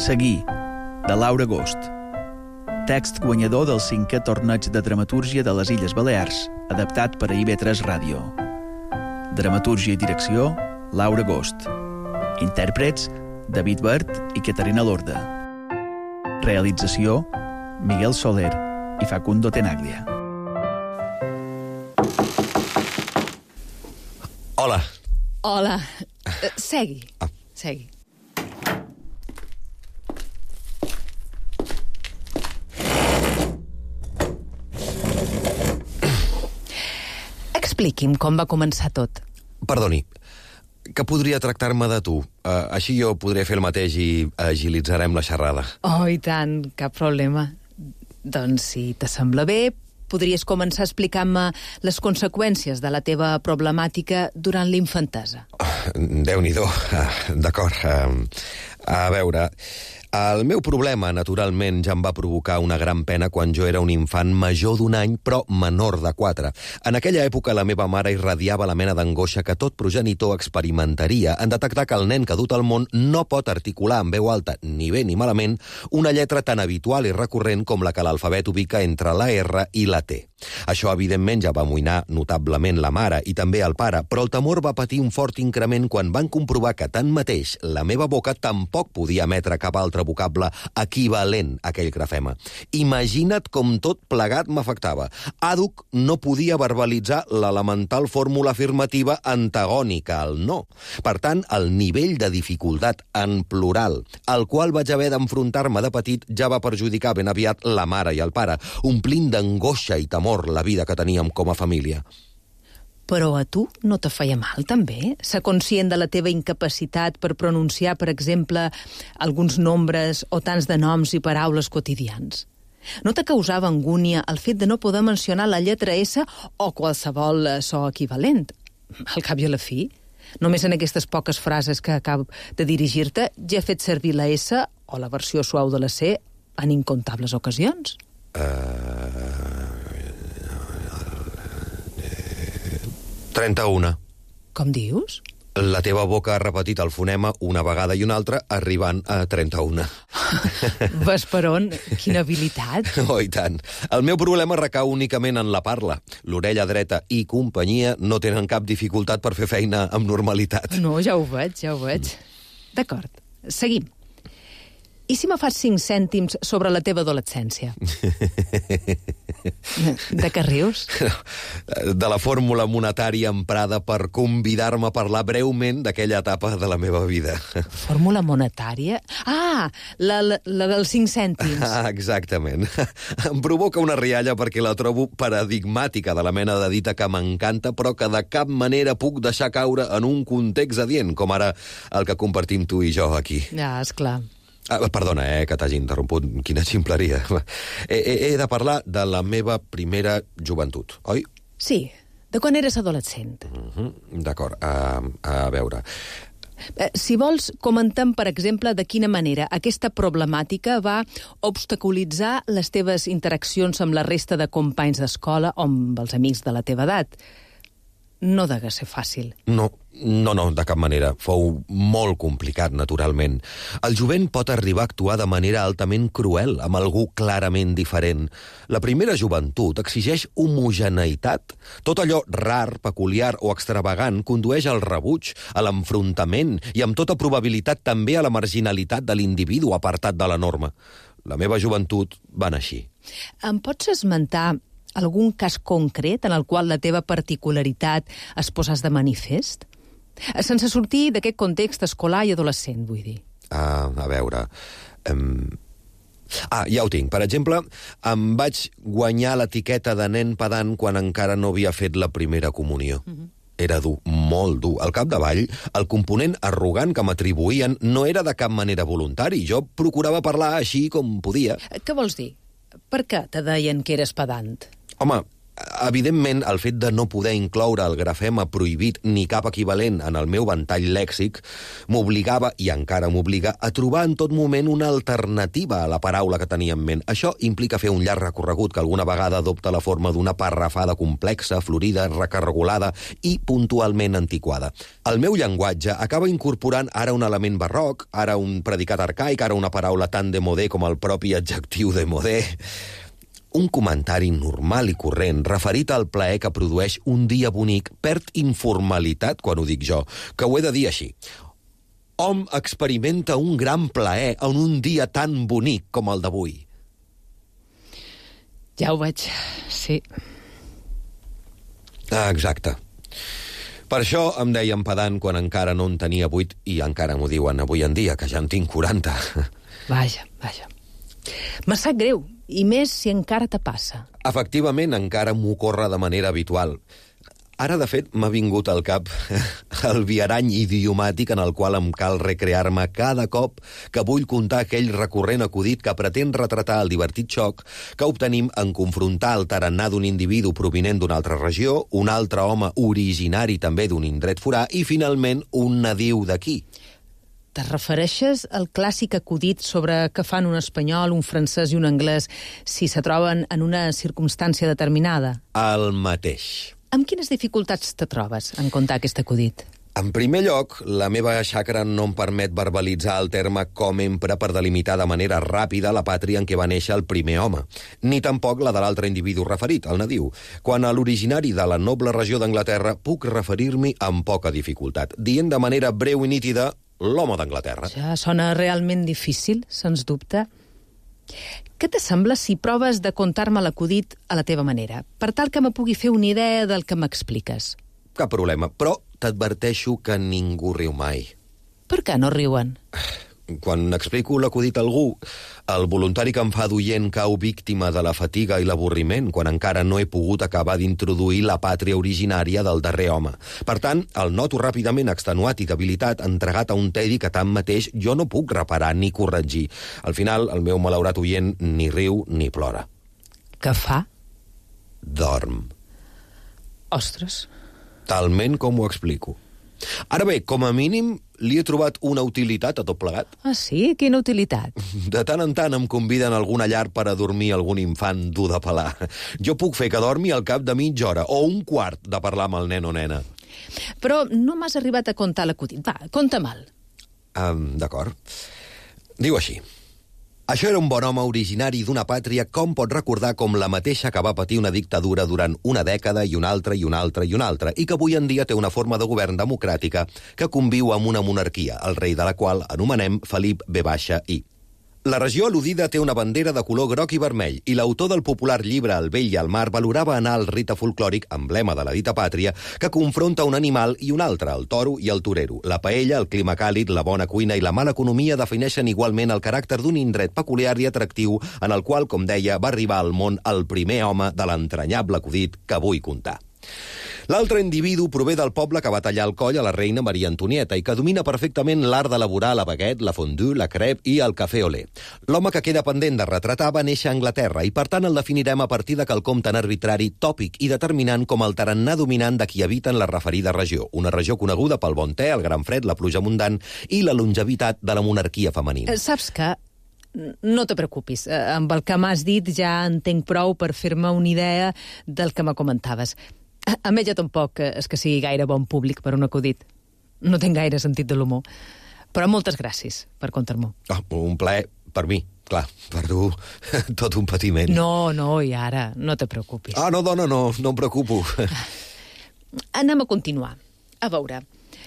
Seguir, de Laura Agost. Text guanyador del 5è torneig de dramatúrgia de les Illes Balears, adaptat per a IB3 Ràdio. Dramatúrgia i direcció, Laura Agost. Intèrprets, David Bert i Caterina Lorda. Realització, Miguel Soler i Facundo Tenaglia. Hola. Hola. Segui. Segui. Expliqui'm com va començar tot. Perdoni, que podria tractar-me de tu? Així jo podré fer el mateix i agilitzarem la xerrada. Oh, i tant, cap problema. Doncs, si t'assembla bé, podries començar explicant-me les conseqüències de la teva problemàtica durant l'infantesa. Déu-n'hi-do. D'acord. A veure, el meu problema, naturalment, ja em va provocar una gran pena quan jo era un infant major d'1 any, però menor de 4. En aquella època la meva mare irradiava la mena d'angoixa que tot progenitor experimentaria en detectar que el nen que ha dut al món no pot articular en veu alta, ni bé ni malament, una lletra tan habitual i recurrent com la que l'alfabet ubica entre la R i la T. Això, evidentment, ja va amoïnar notablement la mare i també el pare, però el temor va patir un fort increment quan van comprovar que, tanmateix, la meva boca tampoc podia emetre cap altre vocable equivalent a aquell grafema. Imagina't com tot plegat m'afectava. Àdhuc no podia verbalitzar l'elemental fórmula afirmativa antagònica al no. Per tant, el nivell de dificultat en plural al qual vaig haver d'enfrontar-me de petit ja va perjudicar ben aviat la mare i el pare, omplint d'angoixa i temor la vida que teníem com a família. Però a tu no te feia mal, també? Ser conscient de la teva incapacitat per pronunciar, per exemple, alguns nombres o tants de noms i paraules quotidians? No te causava angúnia el fet de no poder mencionar la lletra S o qualsevol so equivalent? Al cap i a la fi, només en aquestes poques frases que acabo de dirigir-te ja he fet servir la S o la versió suau de la C en incontables ocasions. 31. Com dius? La teva boca ha repetit el fonema una vegada i una altra, arribant a 31. Ves per on? Quina habilitat! Oh, i tant. El meu problema recau únicament en la parla. L'orella dreta i companyia no tenen cap dificultat per fer feina amb normalitat. No, ja ho veig. D'acord, seguim. I si me fas 5 cèntims sobre la teva adolescència? De què rius? De la fórmula monetària emprada per convidar-me a parlar breument d'aquella etapa de la meva vida. Fórmula monetària? Ah, la dels 5 cèntims. Exactament. Em provoca una rialla perquè la trobo paradigmàtica de la mena de dita que m'encanta, però que de cap manera puc deixar caure en un context adient, com ara el que compartim tu i jo aquí. Ja, esclar. Perdona, que t'hagi interromput. Quina ximpleria. He de parlar de la meva primera joventut, oi? Sí, de quan eres adolescent. D'acord, a veure. Si vols, comentem, per exemple, de quina manera aquesta problemàtica va obstaculitzar les teves interaccions amb la resta de companys d'escola o amb els amics de la teva edat. No degué ser fàcil. No, de cap manera. Fou molt complicat, naturalment. El jovent pot arribar a actuar de manera altament cruel amb algú clarament diferent. La primera joventut exigeix homogeneïtat. Tot allò rar, peculiar o extravagant condueix al rebuig, a l'enfrontament i amb tota probabilitat també a la marginalitat de l'individu apartat de la norma. La meva joventut va anar així. Em pots esmentar algun cas concret en el qual la teva particularitat es posàs de manifest? Sense sortir d'aquest context escolar i adolescent, vull dir. A veure... ja ho tinc. Per exemple, em vaig guanyar l'etiqueta de nen pedant quan encara no havia fet la primera comunió. Era dur, molt dur. Al capdavall, el component arrogant que m'atribuïen no era de cap manera voluntari. Jo procurava parlar així com podia. Què vols dir? Per què te deien que eres pedant? Home, Evidentment, el fet de no poder incloure el grafema prohibit ni cap equivalent en el meu ventall lèxic m'obligava, i encara m'obliga, a trobar en tot moment una alternativa a la paraula que tenia en ment. Això implica fer un llarg recorregut que alguna vegada adopta la forma d'una parrafada complexa, florida, recargolada i puntualment antiquada. El meu llenguatge acaba incorporant ara un element barroc, ara un predicat arcaic, ara una paraula tan démodé com el propi adjectiu démodé. Un comentari normal i corrent referit al plaer que produeix un dia bonic perd informalitat quan ho dic jo, que ho he de dir així. Hom experimenta un gran plaer en un dia tan bonic com el d'avui. Ja ho veig, sí. Exacte. Per això em deien pedant quan encara no en tenia 8 i encara m'ho diuen avui en dia, que ja en tinc 40. Vaja. Me sap greu, i més si encara te passa. Efectivament, encara m'ocorre de manera habitual. Ara, de fet, m'ha vingut al cap el viarany idiomàtic en el qual em cal recrear-me cada cop que vull contar aquell recurrent acudit que pretén retratar el divertit xoc que obtenim en confrontar el tarannà d'un individu provinent d'una altra regió, un altre home originari també d'un indret forà i, finalment, un nadiu d'aquí. Te refereixes al clàssic acudit sobre què fan un espanyol, un francès i un anglès si se troben en una circumstància determinada? El mateix. Amb quines dificultats te trobes en contar aquest acudit? En primer lloc, la meva xacra no em permet verbalitzar el terme com empra per delimitar de manera ràpida la pàtria en què va néixer el primer home, ni tampoc la de l'altre individu referit, el nadiu. Quan a l'originari de la noble regió d'Anglaterra puc referir-m'hi amb poca dificultat, dient de manera breu i nítida l'home d'Anglaterra. Ja sona realment difícil, sens dubte. Què te sembla si proves de contar-me l'acudit a la teva manera, per tal que me pugui fer una idea del que m'expliques? Cap problema, però t'adverteixo que ningú riu mai. Per què no riuen? Quan explico l'acudit a algú, el voluntari que em fa d'oient cau víctima de la fatiga i l'avorriment quan encara no he pogut acabar d'introduir la pàtria originària del darrer home. Per tant, el noto ràpidament extenuat i debilitat, entregat a un tedi que tanmateix jo no puc reparar ni corregir. Al final, el meu malaurat oient ni riu ni plora. Què fa? Dorm. Ostres. Talment com ho explico. Ara bé, com a mínim, li he trobat una utilitat a tot plegat. Ah, sí? Quina utilitat? De tant en tant em conviden a alguna llar per a dormir algun infant dur de pelar. Jo puc fer que dormi al cap de mitja hora o un quart de parlar amb el nen o nena. Però no m'has arribat a contar l'acudit. Va, conta-me'l. D'acord. Diu així. Això era un bon home originari d'una pàtria com pot recordar com la mateixa que va patir una dictadura durant una dècada i una altra i una altra i una altra, i que avui en dia té una forma de govern democràtica que conviu amb una monarquia, el rei de la qual anomenem Felip V.I. La regió al·ludida té una bandera de color groc i vermell, i l'autor del popular llibre El vell i el mar valorava anar al rite folclòric, emblema de la dita pàtria, que confronta un animal i un altre, el toro i el torero. La paella, el clima càlid, la bona cuina i la mala economia defineixen igualment el caràcter d'un indret peculiar i atractiu en el qual, com deia, va arribar al món el primer home de l'entranyable acudit que vull contar. L'altre individu prové del poble que va tallar el coll a la reina Maria Antonieta i que domina perfectament l'art d'elaborar la baguette, la fondue, la crêpe i el café au lait. L'home que queda pendent de retratar va néixer a Anglaterra i, per tant, el definirem a partir de quelcom tan arbitrari, tòpic i determinant com el tarannà dominant de qui habita en la referida regió. Una regió coneguda pel bon te, el gran fred, la pluja abundant i la longevitat de la monarquia femenina. Saps què? No te preocupis. Amb el que m'has dit ja en tinc prou per fer-me una idea del que me comentaves. A mi ja tampoc és que sigui gaire bon públic per un acudit. No tinc gaire sentit de l'humor. Però moltes gràcies per contar-m'ho. Un plaer per mi, clar. Per tu, tot un patiment. No, i ara, no te preocupis. No, dona, no em preocupo. Anem a continuar. A veure,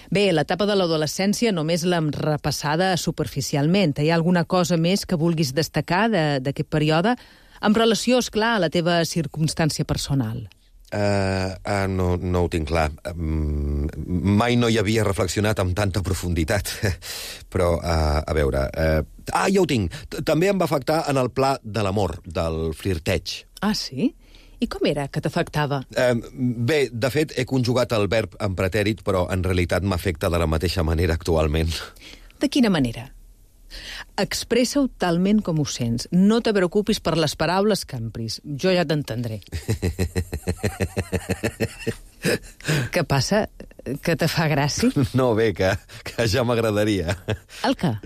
bé, l'etapa de l'adolescència només l'hem repassada superficialment. Hi ha alguna cosa més que vulguis destacar d'aquest període en relació, esclar, a la teva circumstància personal? No ho tinc clar. Mai no hi havia reflexionat amb tanta profunditat. Però, a veure... ja ho tinc. També em va afectar en el pla de l'amor, del flirteig. Ah, sí? I com era que t'afectava? Bé, de fet, he conjugat el verb en pretèrit, però en realitat m'afecta de la mateixa manera actualment. De quina manera? Expressa-ho talment com ho sents. No te preocupis per les paraules que empris. Jo ja t'entendré. Què passa? Que te fa gràcia? No, bé, que ja m'agradaria. El què?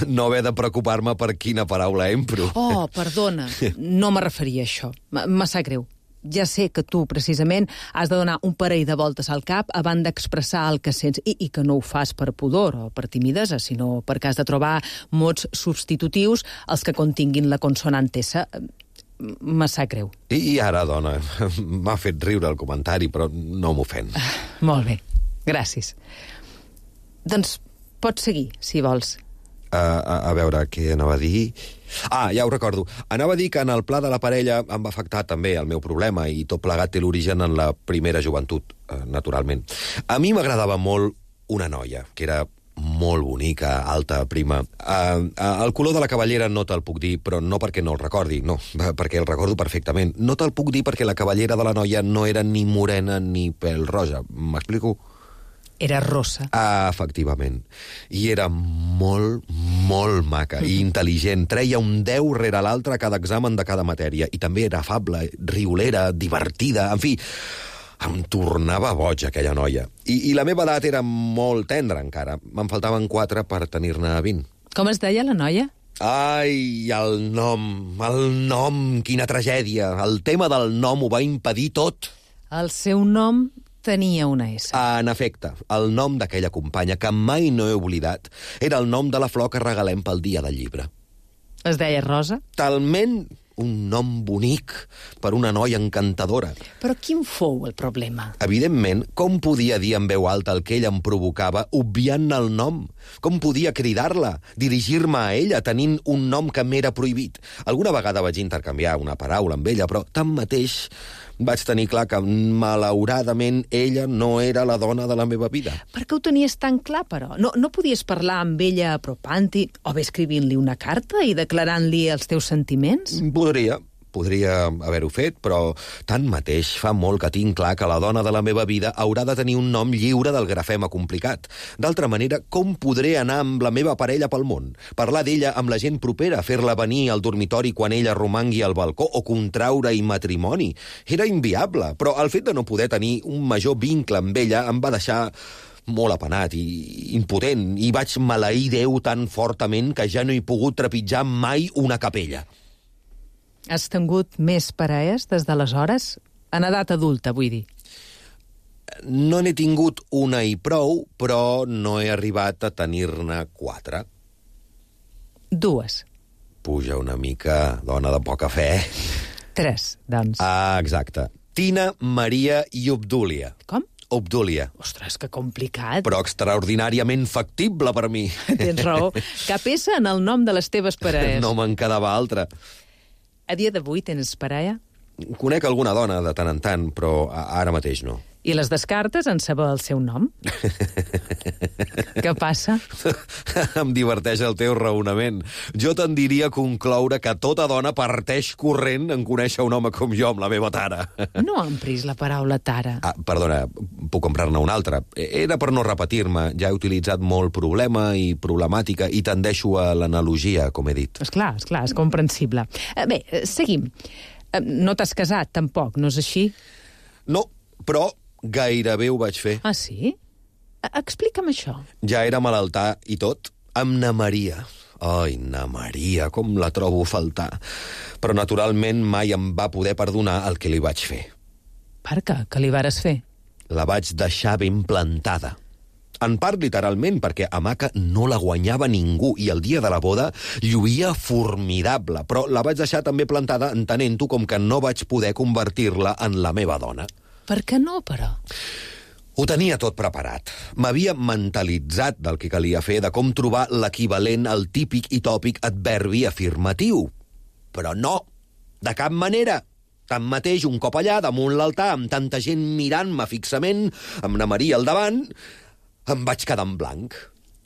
No haver de preocupar-me per quina paraula empro. Oh, perdona. No me referia a això. Me sap greu. Ja sé que tu, precisament, has de donar un parell de voltes al cap abans d'expressar el que sents i que no ho fas per pudor o per timidesa, sinó perquè has de trobar mots substitutius als que continguin la consonant S. Me sap greu. I ara, dona, m'ha fet riure el comentari, però no m'ofèn. Molt bé, gràcies. Doncs pots seguir, si vols. A veure, què anava a dir? Ah, ja ho recordo. Anava a dir que en el pla de la parella em va afectar també el meu problema i tot plegat té l'origen en la primera joventut, naturalment. A mi m'agradava molt una noia, que era molt bonica, alta, prima. El color de la cavallera no te'l puc dir, però no perquè no el recordi, no, perquè el recordo perfectament. No te'l puc dir perquè la cavallera de la noia no era ni morena ni pèl roja. M'explico? Era rossa. Efectivament. I era molt, molt maca i intel·ligent. Treia un 10 rere l'altre a cada examen de cada matèria. I també era afable, riolera, divertida, en fi... Em tornava boig, aquella noia. I la meva edat era molt tendra, encara. Me'n faltaven 4 per tenir-ne 20. Com es deia la noia? Ai, el nom, quina tragèdia. El tema del nom ho va impedir tot. El seu nom tenia una S. En efecte, el nom d'aquella companya, que mai no he oblidat, era el nom de la flor que regalem pel dia del llibre. Es deia Rosa? Talment un nom bonic per una noia encantadora. Però quin fou el problema? Evidentment, com podia dir en veu alta el que ell em provocava, obviant-ne el nom? Com podia cridar-la, dirigir-me a ella, tenint un nom que m'era prohibit? Alguna vegada vaig intercanviar una paraula amb ella, però tanmateix vaig tenir clar que, malauradament, ella no era la dona de la meva vida. Per què ho tenies tan clar, però? No podies parlar amb ella apropant-hi, o bé escrivint-li una carta i declarant-li els teus sentiments? Podria haver-ho fet, però tanmateix fa molt que tinc clar que la dona de la meva vida haurà de tenir un nom lliure del grafema complicat. D'altra manera, com podré anar amb la meva parella pel món? Parlar d'ella amb la gent propera, fer-la venir al dormitori quan ella romangui al balcó o contraure-hi matrimoni? Era inviable, però el fet de no poder tenir un major vincle amb ella em va deixar molt apenat i impotent, i vaig maleir Déu tan fortament que ja no he pogut trepitjar mai una capella. Has tingut més parelles des d'aleshores? En edat adulta, vull dir. No n'he tingut una i prou, però no he arribat a tenir-ne 4. 2. Puja una mica, dona de poca fe. 3, doncs. Ah, exacte. Tina, Maria i Obdúlia. Com? Obdúlia. Ostres, que complicat. Però extraordinàriament factible per mi. Tens raó. Cap S en el nom de les teves parelles. No me'n quedava altra. A dia d'avui tens parella? Conec alguna dona de tant en tant, però ara mateix no. I les descartes en saber el seu nom? Què passa? Em diverteix el teu raonament. Jo tendiria a concloure que tota dona parteix corrent en conèixer un home com jo, amb la meva tara. No empris la paraula tara. Perdona, puc comprar-ne una altra. Era per no repetir-me. Ja he utilitzat molt problema i problemàtica i tendeixo a l'analogia, com he dit. Esclar, és comprensible. Bé, seguim. No t'has casat, tampoc, no és així? No, però gairebé ho vaig fer. Ah, sí? Explica'm això. Ja era malaltà i tot, amb na Maria. Ai, na Maria, com la trobo a faltar. Però naturalment mai em va poder perdonar el que li vaig fer. Per què? Què li vares fer? La vaig deixar ben plantada. En part literalment, perquè a Maca no la guanyava ningú i el dia de la boda lluïa formidable, però la vaig deixar també plantada entenent-ho com que no vaig poder convertir-la en la meva dona. Per què no, però? Ho tenia tot preparat. M'havia mentalitzat del que calia fer, de com trobar l'equivalent al típic i tòpic adverbi afirmatiu. Però no, de cap manera. Tanmateix, un cop allà, damunt l'altar, amb tanta gent mirant-me fixament, amb na Maria al davant, em vaig quedar en blanc.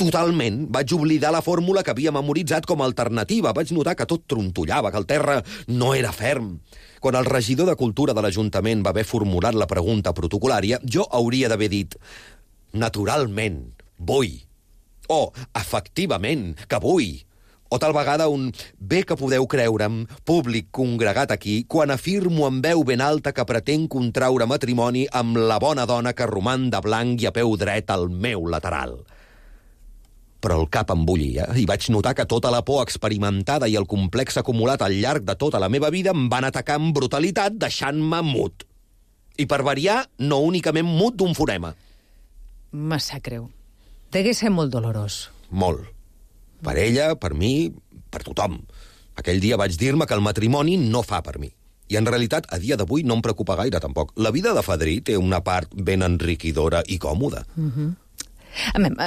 Totalment. Vaig oblidar la fórmula que havia memoritzat com a alternativa. Vaig notar que tot trontollava, que el terra no era ferm. Quan el regidor de Cultura de l'Ajuntament va haver formulat la pregunta protocolària, jo hauria d'haver dit naturalment, vull. O, efectivament, que vull. O tal vegada un bé que podeu creure'm, públic congregat aquí, quan afirmo amb veu ben alta que pretenc contraure matrimoni amb la bona dona que roman de blanc i a peu dret al meu lateral. Però el cap em bullia i vaig notar que tota la por experimentada i el complex acumulat al llarg de tota la meva vida em van atacar amb brutalitat, deixant-me mut. I per variar, no únicament mut d'un fonema. Me sap greu. Degué ser molt dolorós. Molt. Per ella, per mi, per tothom. Aquell dia vaig dir-me que el matrimoni no fa per mi. I en realitat, a dia d'avui no em preocupa gaire, tampoc. La vida de fadrí té una part ben enriquidora i còmoda.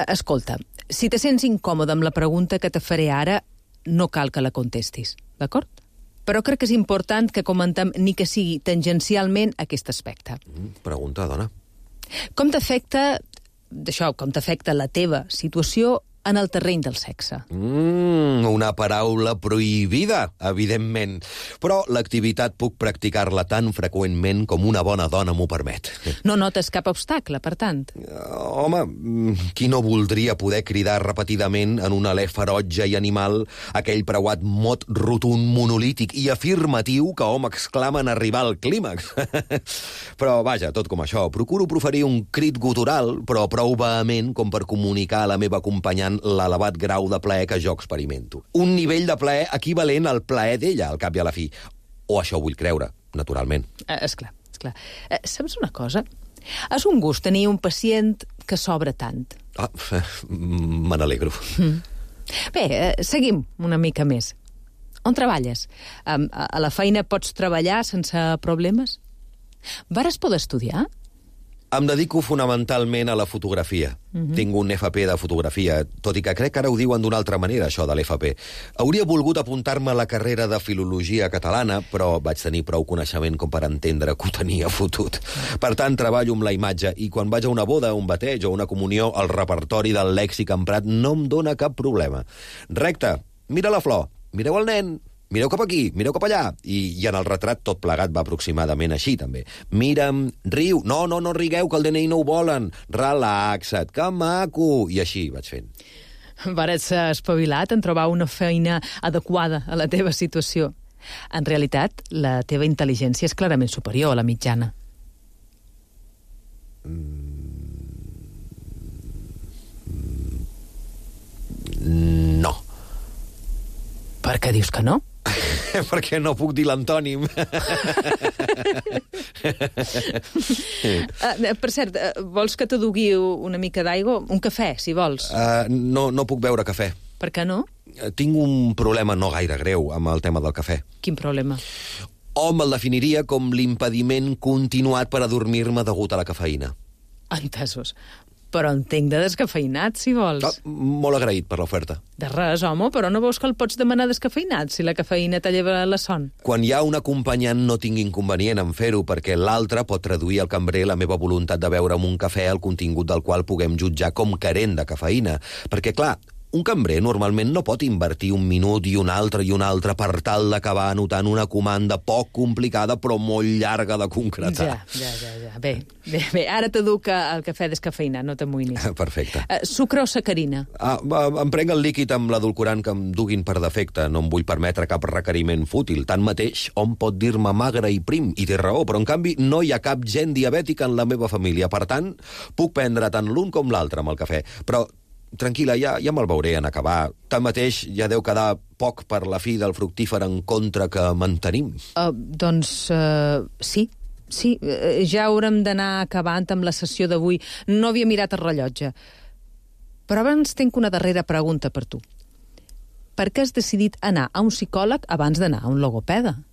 Escolta, si te sents incòmode amb la pregunta que te faré ara, no cal que la contestis, d'acord? Però crec que és important que comentem ni que sigui tangencialment aquest aspecte. Pregunta, dona. Com t'afecta la teva situació en el terreny del sexe? Una paraula prohibida, evidentment. Però l'activitat puc practicar-la tan freqüentment com una bona dona m'ho permet. No notes cap obstacle, per tant? Home, qui no voldria poder cridar repetidament en un alè ferotge i animal aquell preuat mot rotund, monolític i afirmatiu que hom exclama en arribar al clímax. Però, vaja, tot com això, procuro proferir un crit gutural, però prou vehement com per comunicar a la meva acompanyant l'elevat grau de plaer que jo experimento. Un nivell de plaer equivalent al plaer d'ella, al cap i a la fi. O això vull creure, naturalment. Esclar. Saps una cosa? És un gust tenir un pacient que s'obre tant. Me n'alegro. Bé, seguim una mica més. On treballes? A la feina pots treballar sense problemes? Vares poder estudiar? Em dedico fonamentalment a la fotografia. Tinc un FP de fotografia, tot i que crec que ara ho diuen d'una altra manera, això de l'FP. Hauria volgut apuntar-me a la carrera de filologia catalana, però vaig tenir prou coneixement com per entendre que ho tenia fotut. Per tant, treballo amb la imatge, i quan vaig a una boda, un bateig o una comunió, el repertori del lèxic emprat no em dóna cap problema. Recte, mira la flor, mireu el nen, mireu cap aquí, mireu cap allà. I en el retrat tot plegat va aproximadament així, també. Mira'm, riu, no rigueu, que el DNI no ho volen. Relaxa't, que maco. I així vaig fent. Vares ser espavilat en trobar una feina adequada a la teva situació. En realitat, la teva intel·ligència és clarament superior a la mitjana. No. Per què dius que no? Perquè no puc dir l'antònim. Per cert, vols que te dugui una mica d'aigua? Un cafè, si vols. No puc beure cafè. Per què no? Tinc un problema no gaire greu amb el tema del cafè. Quin problema? Hom el definiria com l'impediment continuat per adormir-me degut a la cafeïna. Entesos. Però entenc de descafeïnat, si vols. Molt agraït per l'oferta. De res, home, però no veus que el pots demanar descafeïnat si la cafeïna te lleva la son? Quan hi ha un acompanyant no tinc inconvenient en fer-ho, perquè l'altre pot traduir al cambrer la meva voluntat de beure amb un cafè el contingut del qual puguem jutjar com carent de cafeïna. Perquè, clar, un cambrer normalment no pot invertir un minut i un altre per tal d'acabar anotant una comanda poc complicada però molt llarga de concretar. Ja. Bé, ara t'educ el cafè descafeïnat, no t'amoïnis. Perfecte. Sucre o sacarina? Em prenc el líquid amb l'edulcorant que em duguin per defecte. No em vull permetre cap requeriment fútil. Tanmateix, hom pot dir-me magre i prim, i té raó, però en canvi no hi ha cap gent diabètica en la meva família. Per tant, puc prendre tant l'un com l'altre amb el cafè. Però tranquil·la, ja me'l veuré en acabar. Tanmateix, ja deu quedar poc per la fi del fructífer encontre que mantenim. Sí, ja haurem d'anar acabant amb la sessió d'avui. No havia mirat el rellotge. Però abans tinc una darrera pregunta per tu. Per què has decidit anar a un psicòleg abans d'anar a un logopeda?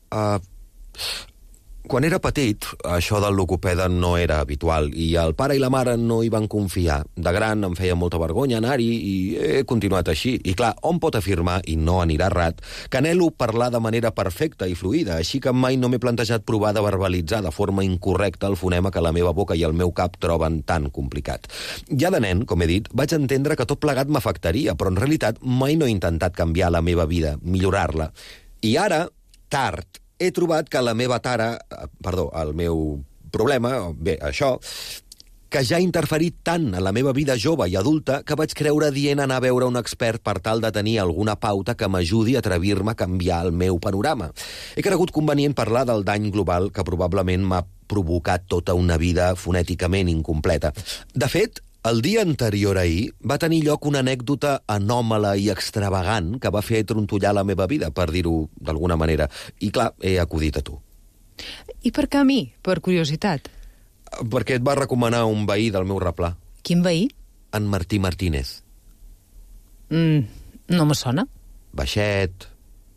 Quan era petit, això del logopeda no era habitual i el pare i la mare no hi van confiar. De gran em feia molta vergonya anar-hi i he continuat així. I clar, hom pot afirmar, i no anirà errat, que anhelo parlar de manera perfecta i fluida, així que mai no m'he plantejat provar de verbalitzar de forma incorrecta el fonema que la meva boca i el meu cap troben tan complicat. Ja de nen, com he dit, vaig entendre que tot plegat m'afectaria, però en realitat mai no he intentat canviar la meva vida, millorar-la. I ara, tard, he trobat que el meu problema, això, que ja ha interferit tant en la meva vida jove i adulta que vaig creure dient anar a veure un expert per tal de tenir alguna pauta que m'ajudi a atrevir-me a canviar el meu panorama. He cregut convenient parlar del dany global que probablement m'ha provocat tota una vida fonèticament incompleta. De fet, el dia anterior a ahir va tenir lloc una anècdota anòmala i extravagant que va fer trontollar la meva vida, per dir-ho d'alguna manera. I clar, he acudit a tu. I per què a mi? Per curiositat. Perquè et va recomanar un veí del meu replà. Quin veí? En Martí Martínez. No me sona. Baixet,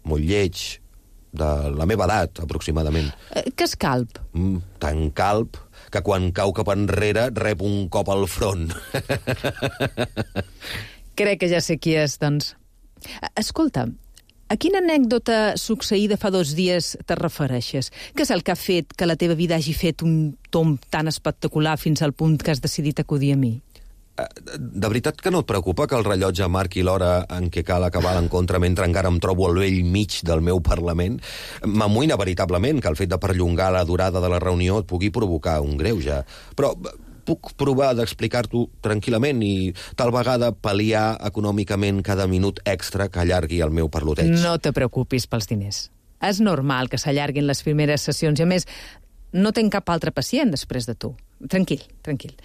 molt lleig, de la meva edat, aproximadament. Que és calb? Tan calb que quan cau cap enrere rep un cop al front. Crec que ja sé qui és, doncs. Escolta, a quina anècdota succeïda fa 2 dies te refereixes? Què és el que ha fet que la teva vida hagi fet un tomb tan espectacular fins al punt que has decidit acudir a mi? De veritat que no et preocupa que el rellotge marqui l'hora en què cal acabar l'encontre mentre encara em trobo al vell mig del meu Parlament? M'amoïna veritablement que el fet de perllongar la durada de la reunió et pugui provocar un greuge. Però puc provar d'explicar-t'ho tranquil·lament i tal vegada pal·liar econòmicament cada minut extra que allargui el meu parloteig. No te preocupis pels diners. És normal que s'allarguin les primeres sessions i, a més, no tenc cap altre pacient després de tu. Tranquil, tranquil.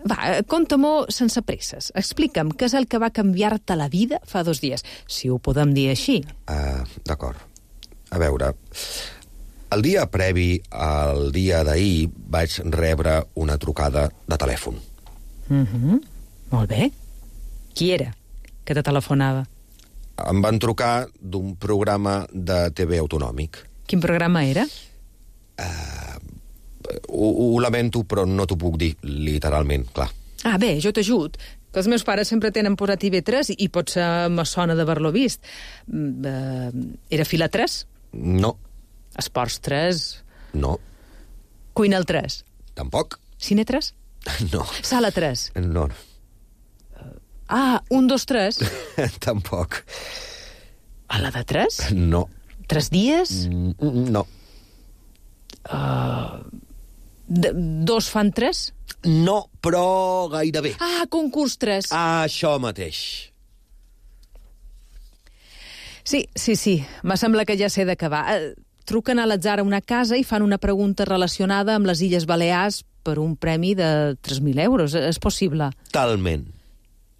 Va, conta-m'ho sense presses. Explica'm què és el que va canviar-te la vida fa 2 dies, si ho podem dir així. D'acord. A veure, el dia previ al dia d'ahir vaig rebre una trucada de telèfon. Molt bé. Qui era que te telefonava? Em van trucar d'un programa de TV autonòmic. Quin programa era? Ho lamento, però no t'ho puc dir literalment, clar. Bé, jo t'ajut. Que els meus pares sempre tenen posat TV3 i potser me sona d'haver-lo vist. Era Fila 3? No. Esports 3? No. Cuina el 3? Tampoc. Cine 3? No. Sala 3? No. 1, 2, 3? Tampoc. A la de 3? No. 3 dies? No. 2 fan 3? No, però gairebé. Concurs 3. Això mateix. Sí. Me sembla que ja sé de què va. Truquen a l'atzar a una casa i fan una pregunta relacionada amb les Illes Balears per un premi de 3.000 euros. És possible? Talment.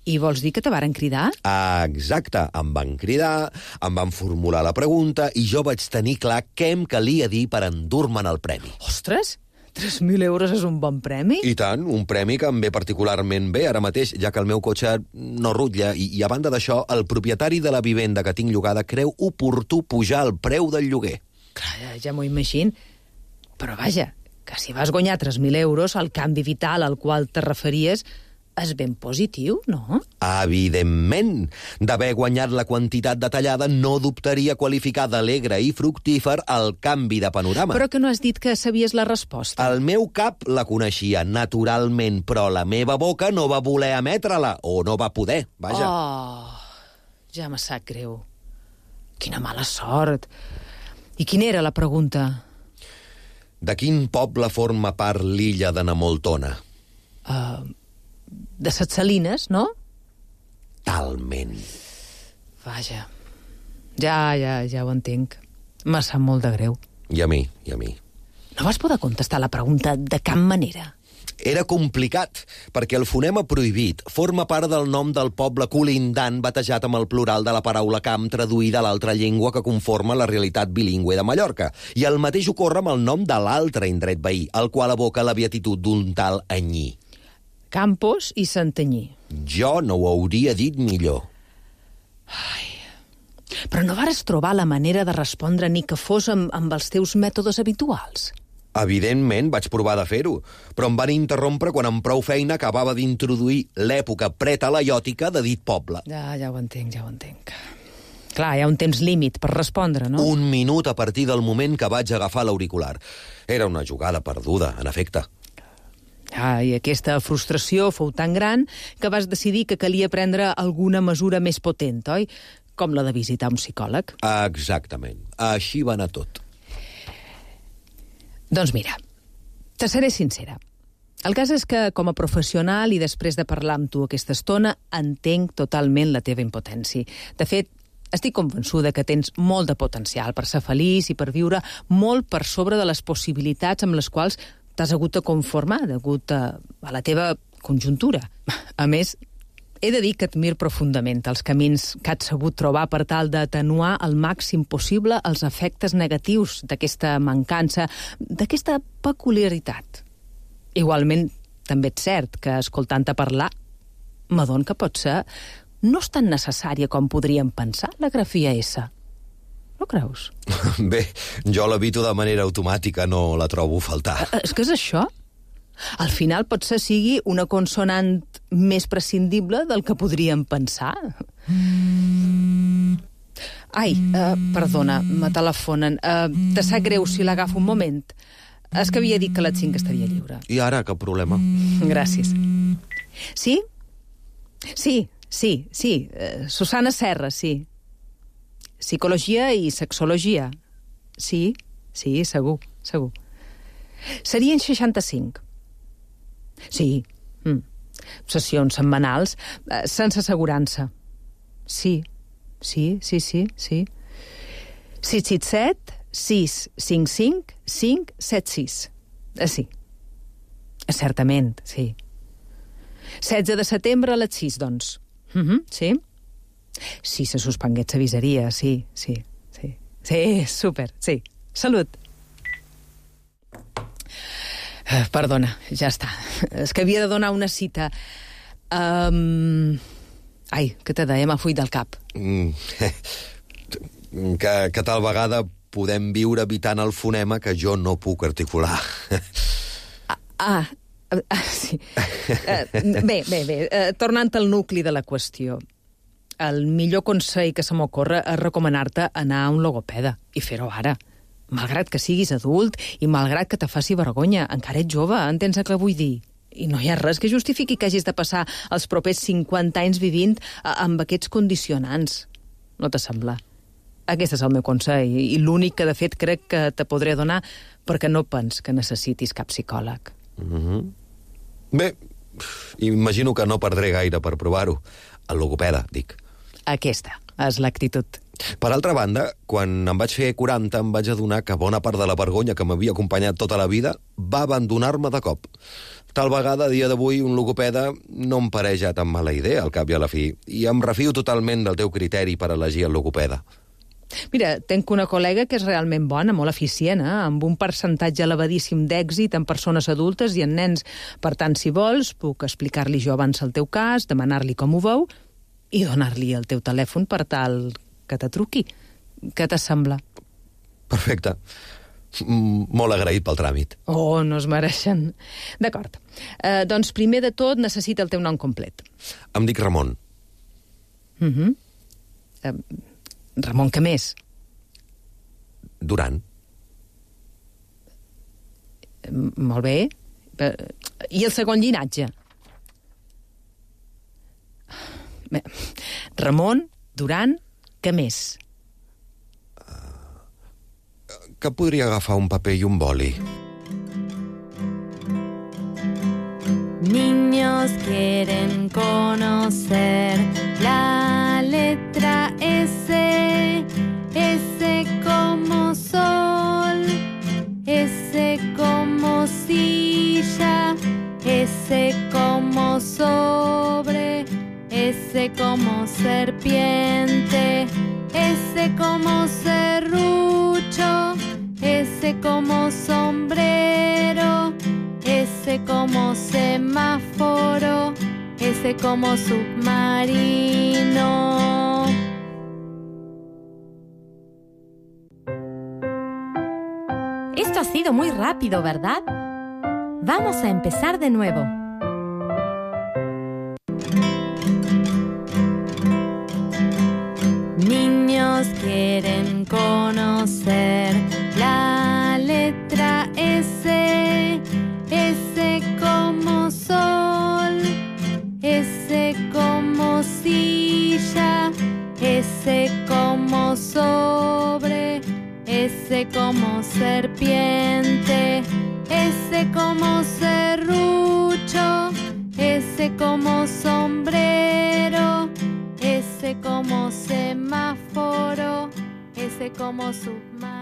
I vols dir que te varen cridar? Exacte, em van cridar, em van formular la pregunta i jo vaig tenir clar què em calia dir per endur-me'n el premi. Ostres, 3.000 euros és un bon premi? I tant, un premi que em ve particularment bé ara mateix, ja que el meu cotxe no rutlla i a banda d'això, el propietari de la vivenda que tinc llogada creu oportú pujar el preu del lloguer. Clar, ja m'ho imagino. Però vaja, que si vas guanyar 3.000 euros, el canvi vital al qual te referies és ben positiu, no? Evidentment. D'haver guanyat la quantitat detallada, no dubtaria qualificar d'alegre i fructífer el canvi de panorama. Però que no has dit que sabies la resposta. El meu cap la coneixia naturalment, però la meva boca no va voler emetre-la, o no va poder, vaja. Ja me sap greu. Quina mala sort. I quina era la pregunta? De quin poble forma part l'illa de Namoltona? De Ses Salines, no? Talment. Vaja. Ja ho entenc. Me sap molt de greu. I a mi. No vas poder contestar la pregunta de cap manera? Era complicat, perquè el fonema prohibit forma part del nom del poble colindant batejat amb el plural de la paraula camp traduïda a l'altra llengua que conforma la realitat bilingüe de Mallorca. I el mateix ocorre amb el nom de l'altre indret veí, el qual evoca la beatitud d'un tal Anyí. Campos i Santanyí. Jo no ho hauria dit millor. Però no vares trobar la manera de respondre ni que fos amb els teus mètodes habituals? Evidentment, vaig provar de fer-ho, però em van interrompre quan amb prou feina acabava d'introduir l'època pretalaiòtica de dit poble. Ja ho entenc. Clar, hi ha un temps límit per respondre, no? 1 minut a partir del moment que vaig agafar l'auricular. Era una jugada perduda, en efecte. I aquesta frustració fou tan gran que vas decidir que calia prendre alguna mesura més potent, oi? Com la de visitar un psicòleg. Exactament. Així va anar tot. Doncs mira, te seré sincera. El cas és que, com a professional i després de parlar amb tu aquesta estona, entenc totalment la teva impotència. De fet, estic convençuda que tens molt de potencial per ser feliç i per viure molt per sobre de les possibilitats amb les quals t'has hagut de conformar degut a la teva conjuntura. A més, he de dir que admiro profundament els camins que has sabut trobar per tal d'atenuar al màxim possible els efectes negatius d'aquesta mancança, d'aquesta peculiaritat. Igualment, també és cert que, escoltant-te parlar, m'adon que potser no és tan necessària com podríem pensar la grafia S. No creus? Bé, jo l'evito de manera automàtica, no la trobo a faltar. És que és això? Al final potser sigui una consonant més prescindible del que podríem pensar. Ai, perdona, me telefonen. Te sap greu si l'agafo un moment? És que havia dit que a les 5 estaria lliure. I ara, cap problema. Gràcies. Sí? Sí. Susana Serra, sí. Psicologia i sexologia. Sí, segur. Serien 65. Sí. Sessions setmanals, sense assegurança. Sí. 667 655 576. Sí. Certament, sí. 16 de setembre a les 6, doncs. Sí? Si se suspengués s'avisaria, sí. Sí, súper, sí. Salut. Perdona, ja està. És que havia de donar una cita. Ai, què te deia? M'ha fuit del cap. Que tal vegada podem viure evitant el fonema que jo no puc articular. Sí. Bé, tornant al nucli de la qüestió. El millor consell que se m'ocorre és recomanar-te anar a un logopeda i fer-ho ara. Malgrat que siguis adult i malgrat que te faci vergonya, encara ets jove, entens el que vull dir? I no hi ha res que justifiqui que hagis de passar els propers 50 anys vivint amb aquests condicionants. No te sembla? Aquest és el meu consell i l'únic que de fet crec que te podré donar perquè no pens que necessitis cap psicòleg. Bé, imagino que no perdré gaire per provar-ho. El logopeda, dic. Aquesta és l'actitud. Per altra banda, quan em vaig fer 40 em vaig adonar que bona part de la vergonya que m'havia acompanyat tota la vida va abandonar-me de cop. Tal vegada, a dia d'avui, un logopeda no em pareix ja tan mala idea, al cap i a la fi, i em refio totalment del teu criteri per elegir el logopeda. Mira, tenc una col·lega que és realment bona, molt eficient, amb un percentatge elevadíssim d'èxit en persones adultes i en nens. Per tant, si vols, puc explicar-li jo abans el teu cas, demanar-li com ho veu i donar-li el teu telèfon per tal que te truqui. Què te sembla? Perfecte. Molt agraït pel tràmit. Oh, no es mereixen. D'acord. Doncs primer de tot necessita el teu nom complet. Em dic Ramon. Ramon, què més? Duran. Molt bé. I el segon llinatge? Ramon, Duran, què més? Que podria agafar un paper i un boli. Niños quieren conocer la letra S. S como sol, S como silla, S como sobre, S como serpiente, S como serrucho, S como sombrero, S como semáforo, S como submarino. Esto ha sido muy rápido, ¿verdad? Vamos a empezar de nuevo. Niños quieren conocer la letra S. S como sol, S como silla, S como sobre, S como serpiente, S como serrucho, S como sombrero, S como semáforo, S como submarino.